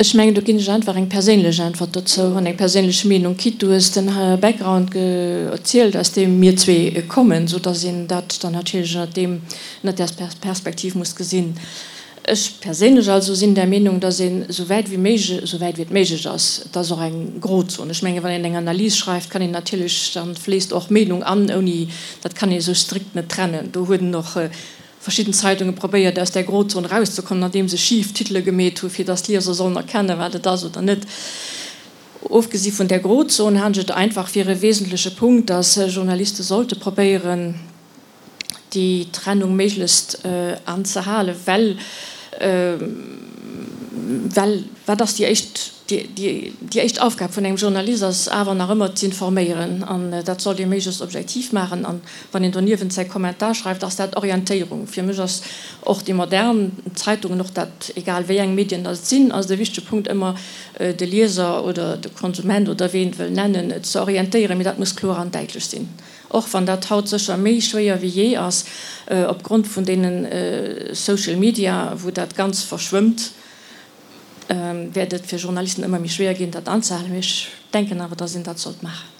Ech mengen, do ginn ech einfach eng perséinlech Äntwert dozou an eng perséinlech Meenung. Quitte, du hues den Background erzielt, aus deem mir zwee kommen, sou datt een dat dann natierlech ënnert deem, ënnert där Perspektiv muss gesinn. Ech perséinlech also sinn der Meenung, datt een esou wäit wéi méiglech, esou wäit wéi et méiglech ass, et ass och eng Grozon, ech mengen, wann een eng Analys schreift, kann een natierlech, dann fléisst och Meenung an, ouni, dat kann ee sou strikt net trennen. Do huet en och verschidden Zeitunge probéiert aus där Grozon erauszekommen, andeem se schif Titele gemeet hu fir datt d'Lieser sollen erkennen, wat et ass oder net. Ofgesi vun där Grozon halen ech et einfach fir e wesentleche Punkt, datt Journaliste sollte probéieren, déi Trennung méiglechst anzehalen, well well wat ass déi éischt, déi éischt Aufgab vun engem Journalist ass awer nach ëmmer z'informéieren an dat sollt ee méiglechst objektiv maachen an Wann een doniewent säi Kommentar schreift, ass dat Orientéierung. Fir mech ass och déi modern Zeitungen, och dat, egal wéi eng Medien dat et sinn, ass et e wichtege Punkt ëmmer de Lieser oder de Konsument oder wéi een et wëll nennen, ze orientéieren. Mee dat muss kloer an däitlech sinn, och wann dat haut sécher méi schwéier wéi jee ass opgrond vun deene Social Media, wou dat ganz verschwëmmt, wäert et fir Journalisten ëmmer méi schwéier ginn, dat anzehalen. Mee ech denken awer, datt een dat sollt maachen.